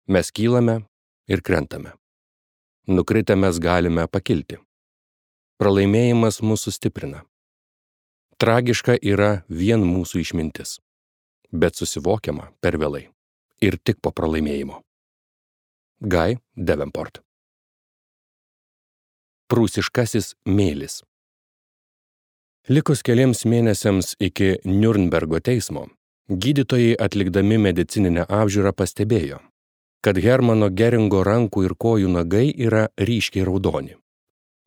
Mes kylame ir krentame. Nukritę mes galime pakilti. Pralaimėjimas mūsų stiprina. Tragiška yra vien mūsų išmintis, bet susivokiama per vėlai ir tik po pralaimėjimo. Guy Davenport. Prūsiškasis mėlis. Likus keliems mėnesiams iki Niurnbergo teismo, gydytojai atlikdami medicininę apžiūrą pastebėjo, kad Hermano Geringo rankų ir kojų nagai yra ryškiai raudoni.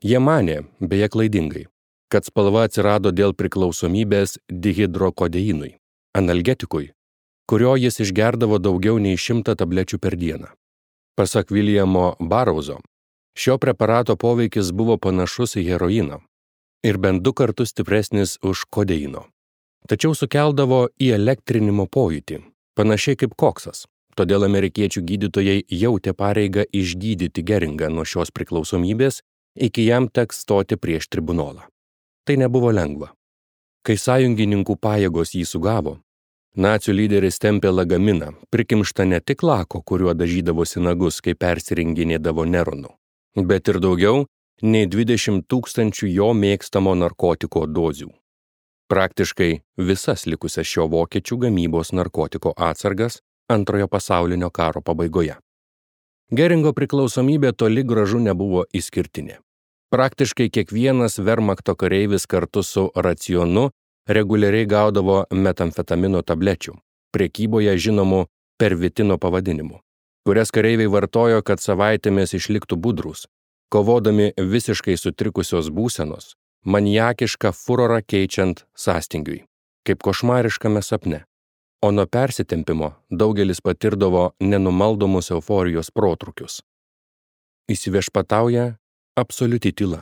Jie manė, beje klaidingai, kad spalva atsirado dėl priklausomybės dihidrokodeinui, analgetikui, kurio jis išgerdavo daugiau nei 100 tablečių per dieną. Pasak Viljamo Barauzo, šio preparato poveikis buvo panašus į heroiną ir bent 2 kartus stipresnis už kodeino. Tačiau sukeldavo įelektrinimo pojūtį, panašiai kaip koksas. Todėl amerikiečių gydytojai jautė pareigą išgydyti Geringą nuo šios priklausomybės, iki jam teks stoti prieš tribunolą. Tai nebuvo lengva. Kai sąjungininkų pajėgos jį sugavo, nacių lyderis tempė lagaminą, prikimštą ne tik lako, kuriuo dažydavosi nagus, kai persirenginėdavo Neronu, bet ir daugiau nei 20 000 jo mėgstamo narkotiko dozių. Praktiškai visas likusias šio vokiečių gamybos narkotiko atsargas Antrojo pasaulinio karo pabaigoje. Geringo priklausomybė toli gražu nebuvo išskirtinė. Praktiškai kiekvienas Wehrmachto kareivis kartu su racionu reguliariai gaudavo metamfetamino tablečių, prekyboje žinomų pervitino pavadinimu, kurias kareiviai vartojo, kad savaitėmis išliktų budrūs, kovodami visiškai sutrikusios būsenos, maniakišką furorą keičiant sąstingiui, kaip košmariškame sapne. O nuo persitempimo daugelis patirdavo nenumaldomus euforijos protrukius. Įsiviešpatauja absoliuti tyla.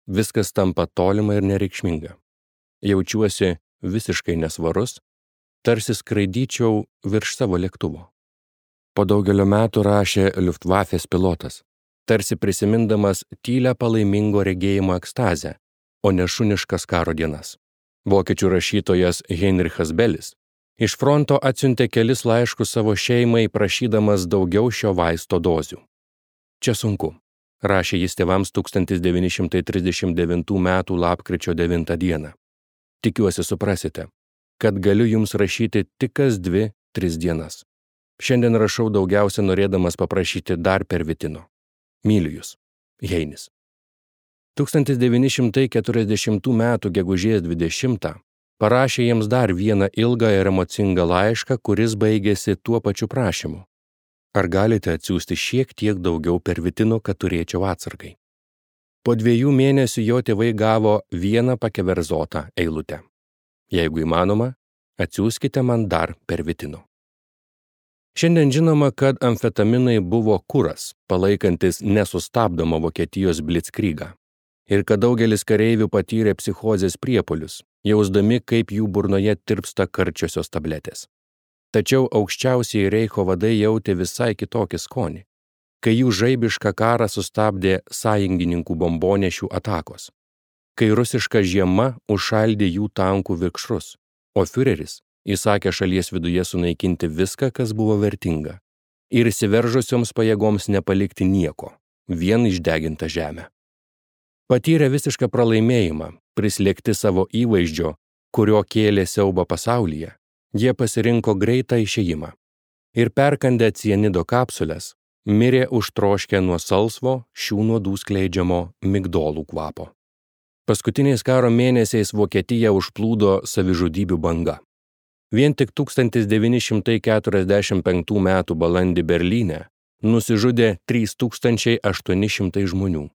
Viskas tampa tolima ir nereikšminga. Jaučiuosi visiškai nesvarus, tarsi skraidyčiau virš savo lėktuvo. Po daugelio metų rašė Luftwaffės pilotas, tarsi prisimindamas tylią palaimingo regėjimo ekstazę, o ne šuniškas karo dienas. Vokiečių rašytojas Heinrichas Belis iš fronto atsiuntė kelis laiškus savo šeimai, prašydamas daugiau šio vaisto dozių. Čia sunku, rašė jis tėvams 1939 m. lapkričio 9 d. Tikiuosi suprasite, kad galiu jums rašyti tik kas 2-3 dienas. Šiandien rašau daugiausia norėdamas paprašyti dar pervitino. Myliu jūs. Heinis. 1940 m. gegužės 20 parašė jiems dar vieną ilgą ir emocingą laišką, kuris baigėsi tuo pačiu prašymu. Ar galite atsiųsti šiek tiek daugiau pervitino, kad turėčiau atsargai? Po 2 mėnesių jo tėvai gavo vieną pakeverzotą eilutę. Jeigu įmanoma, atsiųskite man dar pervitino. Šiandien žinoma, kad amfetaminai buvo kuras, palaikantis nesustabdomą Vokietijos blitzkrygą. Ir kad daugelis kareivių patyrė psichozės priepuolius, jausdami, kaip jų burnoje tirpsta karčiosios tabletės. Tačiau aukščiausiai Reicho vadai jautė visai kitokį skonį, kai jų žaibišką karą sustabdė sąjungininkų bombonešių atakos, kai rusiška žiema užšaldė jų tankų vikšrus, o fiureris įsakė šalies viduje sunaikinti viską, kas buvo vertinga, ir įsiveržusioms pajėgoms nepalikti nieko, vien išdegintą žemę. Patyrę visišką pralaimėjimą, prislėgti savo įvaizdžio, kurio kėlė siaubą pasaulyje, jie pasirinko greitą išėjimą ir perkandę cianido kapsules, mirė užtroškę nuo salsvo šių nuodų skleidžiamo migdolų kvapo. Paskutiniais karo mėnesiais Vokietiją užplūdo savižudybių banga. Vien tik 1945 m. balandį Berlyne nusižudė 3800 žmonių.